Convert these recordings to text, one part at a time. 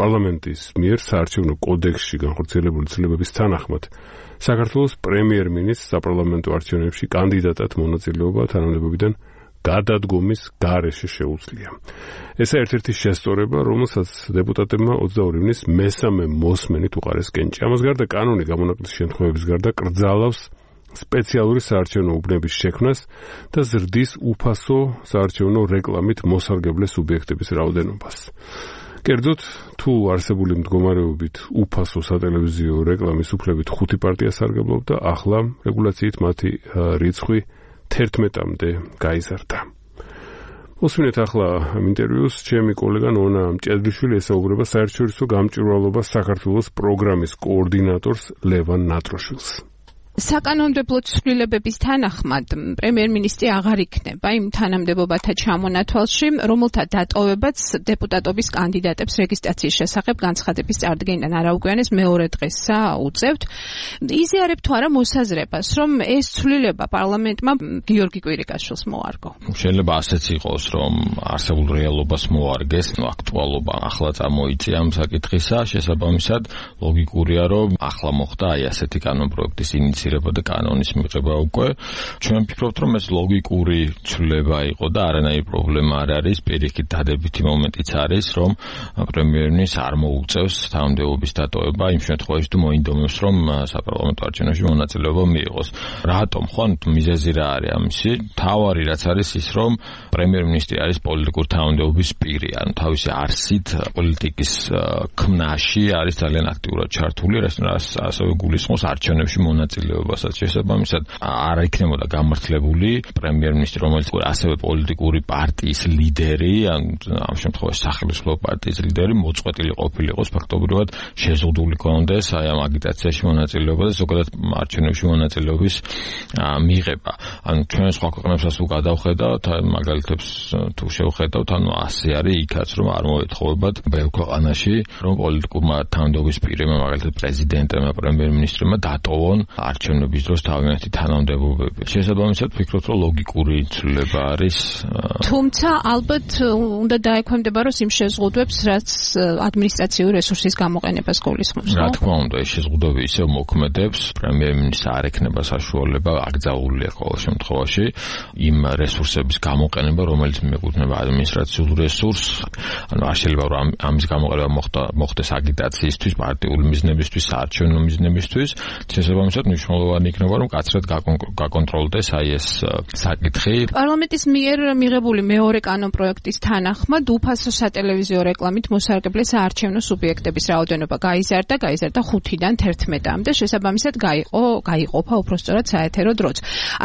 პარლამენტის მიერ საარჩევნო კოდექსში განხორციელებული ცვლილებების თანახმად საქართველოს პრემიერ-მინისტრს საპარლამენტო არჩევნებში კანდიდატად მონაწილეობა თანამდებობიდან გადადგომის გარეშე შეუძლია. ესა ერთ-ერთი შესწორება, რომელსაც დეპუტატებმა 22 ივნის მესამე მოსმენით უყარეს კენჭი. ამას გარდა კანონი გამონაკლისის შემთხვევების გარდა კრძალავს სპეციალური საარჩევნო უბნების შექმნას და ზრდის უფასო საარჩევნო რეკლამით მოსარგებლე სუბიექტების რაოდენობას. კერძოდ, თუ არსებული მდგომარეობით უფასო სატელევიზიო რეკლამის უფლებით 5 პარტია სარგებლობდა, ახლა რეგულაციით მათი რიცხვი 11-მდე გაიზარდა. მოსვინეთ ახლა ამ ინტერვიუს ჩემი კოლეგა ნონა მჭედლიშვილი ესაუბრება საერთაშორისო გამჭვირვალობა საქართველოს პროგრამის კოორდინატორს ლევან ნატროშვილს. საკანონმდებლო ცვლილებების თანახმად პრემიერ-მინისტრი აღარ იქნება იმ თანამდებობათა ჩამონათვალში, რომელთა დატოვებაც დეპუტატობის კანდიდატებს რეგისტრაციის შესახებ განცხადების წარდგენიდან არაუგვიანეს მეორე დღესა უწევთ. იზიარებთ თუ არა მოსაზრებას, რომ ეს ცვლილება პარლამენტმა გიორგი კვირიკაშვილს მოარგო? შეიძლება ასეც იყოს, რომ არსებულ რეალობას მოარგეს, აქტუალობა ახლა წამოიწია ამ საკითხისა, შესაბამისად ლოგიკურია, რომ ახლა მოხდა აი ასეთი კანონპროექტის ინიციირება და კანონის მიღება უკვე. ჩვენ ვფიქრობთ, რომ ეს ლოგიკური ცვლილება იყო და არანაირი პრობლემა არ არის. პირიქით დადებითი მომენტიც არის, რომ პრემიერ-მინისტრს არ მოუწევს თანამდებობის დატოვება იმ შემთხვევაში, თუ მოინდომებს, რომ საპარლამენტო არჩევნებში მონაწილეობა მიიღოს. რატომ? ხო, მიზეზი რა არის ამისი? თავარი რაც არის ის, რომ პრემიერ-მინისტრი არის პოლიტიკური თანამდებობის პირი, ანუ თავისი არსით პოლიტიკის ქმნაში არის ძალიან აქტიურად ჩართული, რასაც ასევე გულისხმობს არჩევნებში მონაწილეობასაც. შესაბამისად არ იქნებოდა გამართლებული პრემიერ-მინისტრი, რომელიც ასევე პოლიტიკური პარტიის ლიდერი, ამ შემთხვევაში სახელმწიფო პარტიის ლიდერი, მოწყვეტილი ყოფილიყოს, ფაქტობრივად შეზღუდული კონდეს აი ამ აგიტაციაში მონაწილეობა და ზოგადად არჩევნებში მონაწილეობის მიღება. ანუ ჩვენ სხვა ქვეყნებსაც თუ გადავხედავთ, მაგალითებს თუ შევხედავთ, ანუ ასე არის იქაც, რომ არ მოეთხოვებათ ბევრ ქვეყანაში, რომ პოლიტიკურმა თანამდებობის პირებმა, მაგალითად პრეზიდენტებმა, პრემიერ-მინისტრებმა დატოვონ არჩევნების დროს თავიანთი თანამდებობები. შესაბამისად ვფიქრობ, რომ ლოგიკური ცვლილება არის. თუმცა ალბათ უნდა დაექვემდებაროს იმ შეზღუდვებს, რაც ადმინისტრაციული რესურსის გამოყენებას გულისხმობს. რა თქმა უნდა, ეს შეზღუდვები ისევ მოქმედებს, პრემიერ-მინისტრს არ ექნება საშუალება, აკრძალულია ყოველ შემთხვევაში იმ რესურსების გამოყენება, რომელიც მიეკუთვნება ადმინისტრაციულ რესურსს. ანუ არ შეიძლება რომ ამის გამოყენება მოხდეს აგიტაციისთვის, პარტიული მიზნებისთვის, საარჩევნო მიზნებისთვის. შესაბამისად მნიშვნელოვანი იქნება, რომ კაცრად გაკონტროლდეს აი ეს საკითხი. პარლამენტის მიერ მიღებული მეორე კანონპროექტის თანახმად უფასო სატელევიზიო რეკლამით მოსარგებლე საარჩევნო სუბიექტების რაოდენობა გაიზარდა 5-დან 11-მდე. შესაბამისად გაიყოფა უпростоრად საეთერო დროც.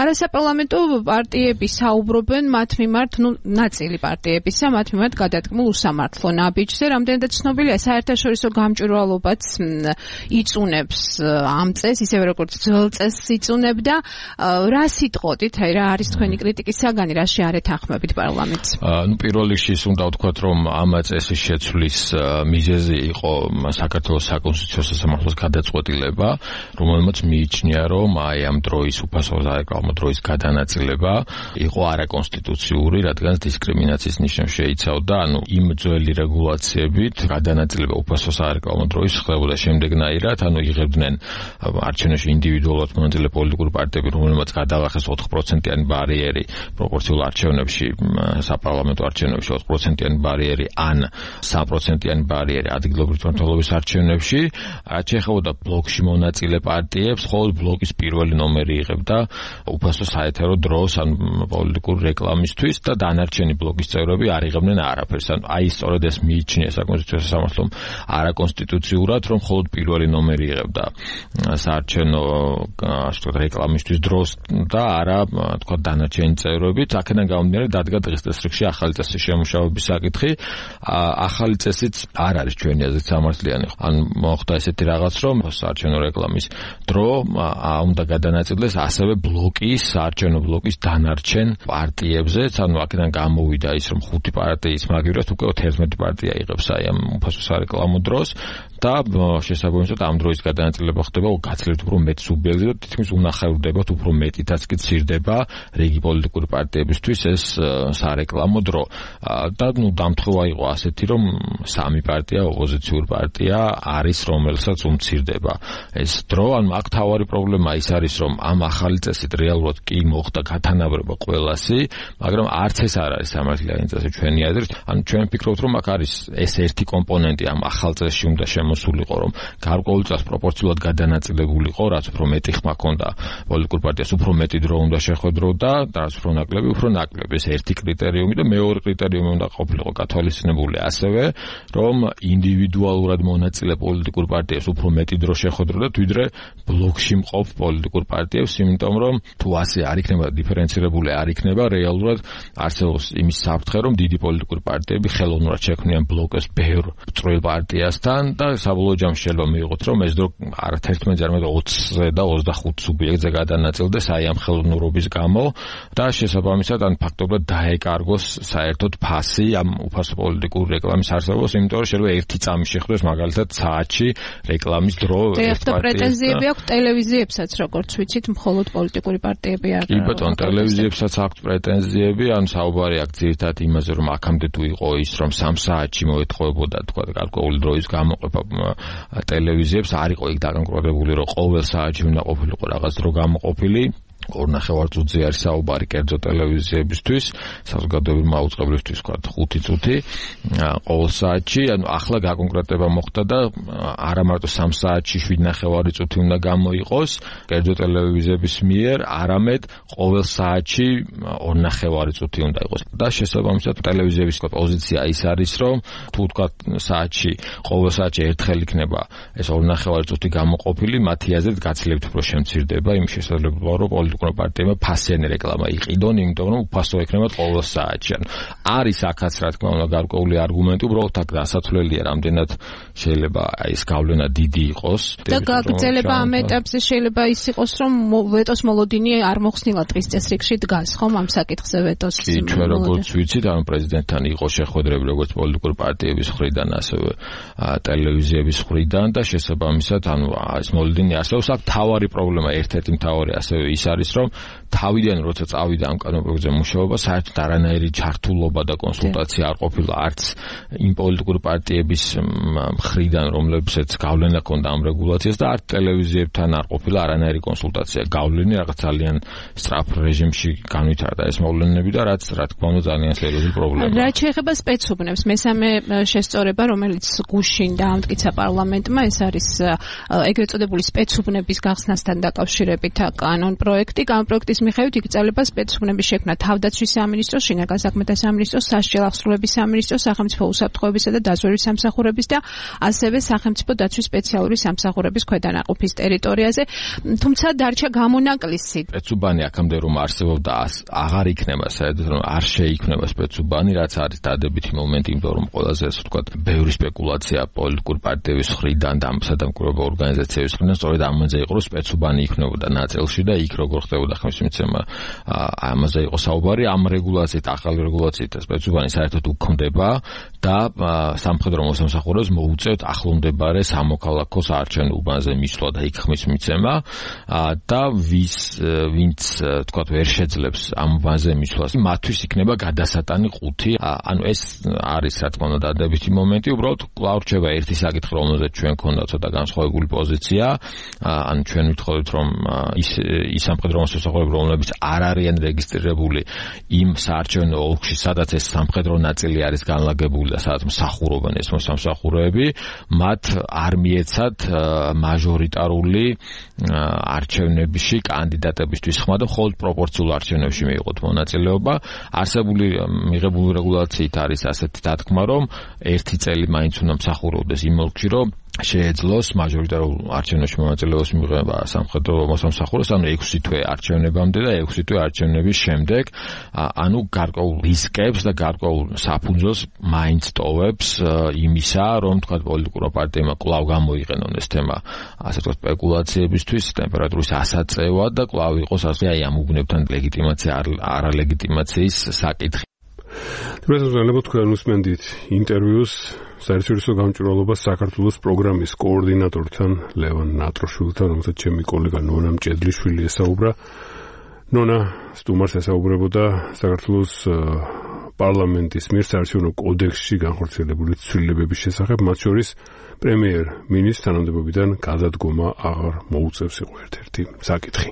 არასაპარლამენტო პარტიები საუბრობენ მათ მიმართ, ნაწილი პარტიებისა მათ მიმართ გადადგმულ უსამართლო ნაბიჯზე. რამდენადაც ცნობილია, საერთაშორისო გამჭვირვალობაც იწუნებს ამ წესს, ისევე როგორც ძველ წესს იწუნებდა. რა სიტყოდით, რა არის თქვენი კრიტიკის საგანი, რაში არ ეთანხმებით პარლამენტს? პირველ რიგში უნდა ვთქვათ, რომ ამ წესის შეცვლის მიზეზი იყო საქართველოს საკონსტიტუციო სასამართლოს გადაწყვეტილება, რომელმაც მიიჩნია, რომ აი ამ დროის უფასო სარეკლამო დროის გადანაწილება იყო არაკონსტიტუციური, რადგან დისკრიმინაციის ნიშნებს შეიცავდა. ანუ იმ ძველი რეგულაციებით გადანაწილება უფასო სარეკლამო დროის ხდებოდა შემდეგნაირად, ანუ იღებდნენ არჩევნებში ინდივიდუალურად მონაწილე პოლიტიკური პარტიები, რომელმაც გადაახეს 4%-იანი ბარიერი პროპორციულ არჩევნებში, საპარლამენტო არჩევნებში 4%-იანი ბარიერი ან 3%-იანი ბარიერი ადგილობრივი მმართველობის არჩევნებში, რაც შეეხებოდა ბლოკში მონაწილე პარტიებს, ხოლო ბლოკის პირველი ნომერი იღებდა უფასო საეთერო დროს ან პოლიტიკური რეკლამისთვის და დანარჩენი ბლოკის წევრები არ იღებდნენ არაფერს. ან აი სწორედ ეს მიიჩნია საკონსტიტუციო სასამართლომ არაკონსტიტუციურად, რომ მხოლოდ პირველი ნომერი იღებდა საარჩევნო რეკლამისთვის დროს და არა თქვა დანარჩენი წევრებით. აქედან გამომდინარე დადგა დღეს წესრიგში ახალი წესის შემუშავების საკითხი. ახალი წესიც არ არის ჩვენი აზრით სამართლიანი. ან მოხდა ესეთი რაღაც, რომ საარჩევნო რეკლამის დრო უნდა გადანაწილდეს ასევე ბლოკის, საარჩევნო ბლოკის დანარჩენ პარტიებზეც. ანუ აქედან გამოვიდა ის, რომ 5 პარტიის მაგივრად უკვე 11 პარტია იღებს აი ამ უფასო სარეკლამო დროს და შესაბამისად ამ დროის გადანაწილება ხდება გაცილებით უფრო მეტ სუბიექტზე და თითქმის უნახევრდებათ უფრო მეტითაც კი ცირდება რიგი პოლიტიკური პარტიებისთვის ეს სარეკლამო დრო და დამთხევა იყო ასეთი რომ სამი პარტია ოპოზიციურ პარტია არის რომელსაც უმცირდება ეს დრო ან აქ თავარი პრობლემა ის არის რომ ამ ახალი წესით რეალურად კი მოხდა გათანაბრება ყველასი მაგრამ არც ეს არ არის სამართლიანი წესი ჩვენი აზრით ან ჩვენ ვფიქრობთ რომ აქ არის ეს ერთი კომპონენტი ამ ახალ წესში უნდა შემოსულიყო რომ გარკვეულწილად პროპორციულად გადანაწილებულიყო რაც უფრო მეტი ხმა ჰქონდა პოლიტიკურ პარტიას უფრო მეტი დრო უნდა შეხვედროდა და რაც უფრო ნაკლები ეს ერთი კრიტერიუმი და მეორე კრიტერიუმი უნდა ყოფილიყო გათვალისწინებული ასევე რომ ინდივიდუალურად მონაწილე პოლიტიკურ პარტიას უფრო მეტი დრო შეხვედროდა ვიდრე ბლოკში მყოფ პოლიტიკურ პარტიებს იმიტომ რომ თუ ასე არ იქნება დიფერენცირებული არ იქნება რეალურად არსებობს იმის საფრთხე რომ დიდი პოლიტიკური პარტიები ხელოვნურად შექმნიან ბლოკს ბევრ წვრილ პარტიასთან და საბოლოო ჯამში შეიძლება მიიღოთ რომ ეს დრო არა 11 არამედ 20-ზე და 25 სუბიექტზე გადანაწილდეს აი ამ ხელოვნურობის გამო და შესაბამისად ან ფაქტობრივად დაეკარგოს საერთოდ ფასი ამ უფასო პოლიტიკური რეკლამის არსებობას იმიტომ რომ შეიძლება ერთი წამი შეხვდეს მაგალითად საათში რეკლამის დრო ეს პრეტენზიები აქვს ტელევიზიებსაც როგორც ვიცით მხოლოდ პოლიტიკური პარტიები არ კი ბატონო ტელევიზიებსაც აქვს პრეტენზიები ან საუბარი აქვს ძირითადად იმაზე რომ აქამდე თუ იყო ის რომ 3 საათში მოეთხოვებოდა თქვა გარკვეული დროის გამოყოფა ტელევიზიებს არ იყო იქ დაკონკრეტებული რომ ყოველ საათში უნდა ყოფილიყო რაღაც დრო გამოყოფილი 2.5 წუთზე არის საუბარი კერძო ტელევიზიებისთვის, საზოგადოებრივი მაუწყებლისთვის თქვა 5 წუთი ყოველ საათში, ანუ ახლა გაკონკრეტება მოხდა და არა მარტო 3 საათში 7.5 წუთი უნდა გამოიყოს კერძო ტელევიზიების მიერ, არამედ ყოველ საათში 2.5 წუთი უნდა იყოს. და შესაბამისად ტელევიზიების პოზიცია ის არის, რომ თუ თქვა საათში ყოველ საათში ერთხელ იქნება ეს 2.5 წუთი გამოყოფილი, მათი აზრით გაცილებით უფრო შემცირდება იმ შესაძლებლობა, რომ პოლიტიკურ პარტიებმა ფასიანი რეკლამა იყიდონ, იმიტომ რომ უფასო ექნება ყოველ საათში. არის აქაც რა თქმა უნდა გარკვეული არგუმენტი, უბრალოდ აქ დასათვლელია, რამდენად შეიძლება ეს გავლენა დიდი იყოს. და გაგრძელება ამ ეტაპზე შეიძლება ის იყოს, რომ ვეტოს მოლოდინი არ მოხსნილა დღის წესრიგში დგას, ხომ ამ საკითხზე ვეტოს. კი, ჩვენ როგორც ვიცით, ამ პრეზიდენტთან იყო შეხვედრები როგორც პოლიტიკური პარტიების მხრიდან, ასევე ტელევიზიების მხრიდან და შესაბამისად, ანუ ეს მოლოდინი არსებობს. აქ თავარი პრობლემა, ერთ-ერთი მთავარი ასევე ის არის, რომ თავიდან როცა წავიდა ამ კანონპროექტზე მუშაობა, საერთოდ არანაირი ჩართულობა და კონსულტაცია არ ყოფილა არც იმ პოლიტიკური პარტიების მხრიდან, რომლებსაც გავლენა ჰქონდა ამ რეგულაციას და არც ტელევიზიებთან არ ყოფილა არანაირი კონსულტაცია. გავლენი რაღაც ძალიან სწრაფ რეჟიმში განვითარდა ეს მოვლენები და რაც რა თქმა უნდა ძალიან სერიოზული პრობლემაა. რაც შეეხება სპეცუბნებს, მესამე შესწორება, რომელიც გუშინ დაამტკიცა პარლამენტმა, ეს არის ეგრეთ წოდებული სპეცუბნების გახსნასთან დაკავშირებით კანონპროექტი. კანონპროექტის მიხედვით იკრძალება სპეცუბნების შექმნა თავდაცვის სამინისტროს, შინაგან საქმეთა სამინისტროს, სასჯელ აღსრულების სამინისტროს, სახელმწიფო უსაფრთხოებისა და დაზვერვის სამსახურების და ასევე სახელმწიფო დაცვის სპეციალური სამსახურების ქვედანაყოფის ტერიტორიაზე. თუმცა დარჩა გამონაკლისი. სპეცუბანი აქამდე რომ არსებობდა, აღარ იქნება საერთოდ რომ არ შეიქმნება სპეცუბანი, რაც არის დადებითი მომენტი, იმიტომ რომ ყველაზე ასე ვთქვათ, ბევრი სპეკულაცია პოლიტიკური პარტიების მხრიდან და სადამკვირვებელ ორგანიზაციების მხრიდან სწორედ ამაზე იყო, რომ სპეცუბანი იქნებოდა ნაწილში და იქ როგორ ხდებოდა ხმისმიცემა ამაზე იყო საუბარი. ამ რეგულაციით, ახალი რეგულაციით სპეცუბანი საერთოდ უკმდება და სამხედრო მოსამსახურეებს მოუწევთ ახლომდებარე სამოქალაქო საარჩევნო უბანზე მისვლა და იქ ხმისმიცემა და ვინც თქვათ ვერ შეძლებს ამ უბანზე მისვლას, მათთვის იქნება გადასატანი 5. ანუ ეს არის რა თქმა უნდა დადებითი მომენტი. უბრალოდ კვლავ რჩება ერთი საკითხი, რომელზეც ჩვენ გქონდა ცოტა განსხვავებული პოზიცია. ანუ ჩვენ ვითხოვთ, რომ ის სამხედრო მოსამსახურეები, რომლებიც არ არიან რეგისტრირებული იმ საარჩევნო ოლქში, სადაც ეს სამხედრო ნაწილი არის განლაგებული და სადაც მსახურობენ ეს მოსამსახურეები, მათ არ მიეცათ მაჟორიტარული არჩევნებში კანდიდატებისთვის ხმა და მხოლოდ პროპორციულ არჩევნებში მიიღოთ მონაწილეობა. მიღებული რეგულაციით არის ასეთი დათქმა, რომ 1 წელი მაინც უნდა მსახურობდეს იმ ოლქში, რომ შეეძლოს მაჟორიტარულ არჩევნებში მონაწილეობას მიღება სამხედრო მოსამსახურეს, ანუ 6 თვე არჩევნებამდე და 6 თვე არჩევნების შემდეგ, ანუ გარკვეულ რისკებს და გარკვეულ საფუძველს მაინც ტოვებს იმისა, რომ თქვა პოლიტიკურ პარტიებმა კვლავ გამოიყენონ ეს თემა, ასე ვთქვათ, სპეკულაციებისთვის, ტემპერატურის ასაწევად და კვლავ იყოს ასე აი ამ უბნებთან ლეგიტიმაცია არალეგიტიმაციის საკითხი. თუმცა თქვენ უსმენდით ინტერვიუს საერთაშორისო გამჭვირვალობას საქართველოს პროგრამის კოორდინატორთან ლევან ნატროშვილთან, რომელსაც ჩემი კოლეგა ნონა მჭედლიშვილი ესაუბრა. ნონა სტუმარს ესაუბრებოდა საქართველოს პარლამენტის მიერ საარჩევნო კოდექსში განხორციელებული ცვლილებების შესახებ, მათ შორის პრემიერ-მინისტრს თანამდებობიდან გადადგომა აღარ მოუწევს იყო ერთ-ერთი საკითხი.